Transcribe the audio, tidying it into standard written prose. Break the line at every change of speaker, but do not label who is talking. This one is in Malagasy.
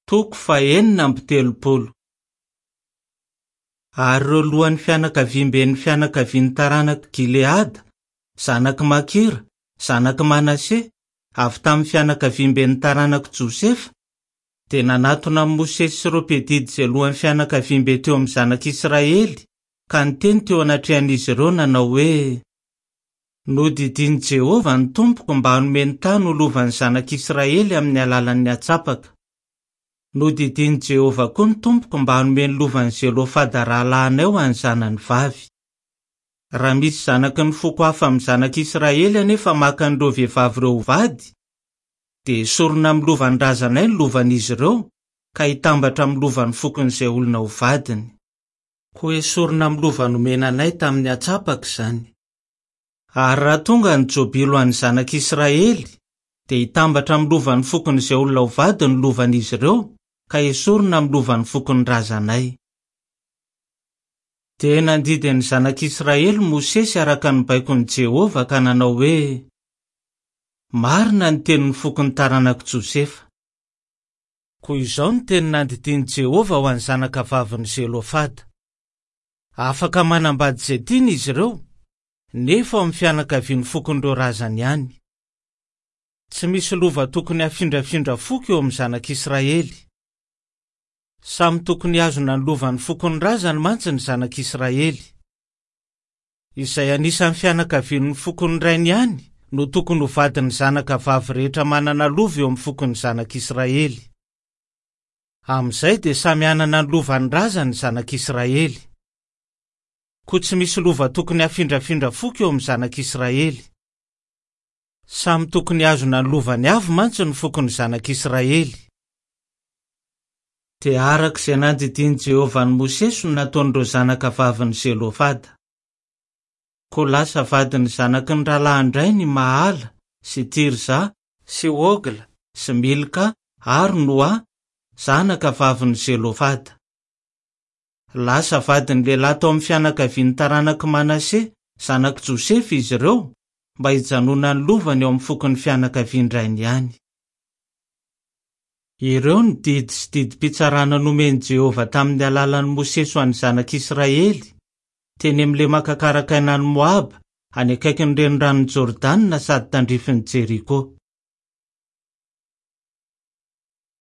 Toko faha-36. Ary ireo lohan'ny fianakaviamben'ny fianakavian'ny taranak'i Gileada, zanak'i Makira, zanak'i Manase, avy tamin'ny fianakaviamben'ny taranak'i Josefa, dia nanatona an'i Mosesy sy ireo mpiadidy izay lohan'ny fianakaviambe teo amin'ny zanak'Israely, ka niteny teo anatrehan'izy ireo nanao hoe, Nodidian'i Jehovah ny tompoko mba hanome ny tany ho lovan'ny zanak'Israely amin'ny alalan'ny antsapaka. Nodidian'i Jehovah koa ny tompoko mba hanome ny lovan'i Zelofada rahalahinay ho an'ny zanany vavy. Raha misy zanaky ny foko hafa amin'ny zanak'Israely anefa maka an'ireo vehivavy ireo ho vady, dia hesorina amin'ny lovan'ny razanay ny lovan'izy ireo, ka hitambatra amin'ny lovan'ny fokon'izay olona ho vadiny. Koa hesorina amin'ny lova nomena anay tamin'ny antsapaka izany. Ary raha tonga ny Jobily ho an'ny zanak'Israely, dia hitambatra amin'ny lovan'ny fokon'izay olona ho vady ny lovan'izy ireo, ka hesorina amin'ny lovan'ny fokon'ny razanay. Dia nandidy ny zanak'Israely Mosesy araka ny baikon'i Jehovah ka nanao hoe, Marina ny tenin'ny fokon'ny taranak'i Josefa. Koa izao no teny nandidian'i Jehovah ho an'ny zanakavavin'i Zelofada, Afaka manambady izay tiany izy ireo, nefa ao amin'ny fianakavian'ny fokon'ireo razany ihany. Tsy misy lova tokony hafindrafindra foko eo amin'ny zanak'Israely. Samy tokony hihazona ny lovan'ny fokon'ny razany mantsy ny zanak'Israely. Izay anisan'ny fianakavian'ny fokon'ny rainy ihany no tokony ho vadin'ny zanaka vavy rehetra manana lova eo amin'ny fokon'ny zanak'Israely. Amin'izay dia samy hanana ny lovan'ny razany ny zanak'Israely. Koa tsy misy lova tokony hafindrafindra foko eo amin'ny zanak'Israely. Samy tokony hihazona ny lovany avy mantsy ny fokon'ny zanak'Israely. Dia araka izay nandidian'i Jehovah an'i Mosesy no nataon'ireo zanaka vavin'i Zelofada. Koa lasa vadin'ny zanaky ny rahalahin-drainy i Mahala sy Tirza sy Hogla sy Milka ary Noa, zanaka vavin'i Zelofada. Lasa vadin'ny lehilahy tao amin'ny fianakavian'ny taranak'i Manase, zanak'i Josefa, izy ireo, mba hijanonan'ny lovany ao amin'ny fokon'ny fianakavian-drainy ihany. Ireo no didy sy didim-pitsarana nomen'i Jehovah tamin'ny alalan'i Mosesy ho an'ny zanak'Israely, teny amin'ny lemaka karakaina any Moaba, any akaikin'ny Reniranon'i Jordana sady tandrifin'i Jeriko.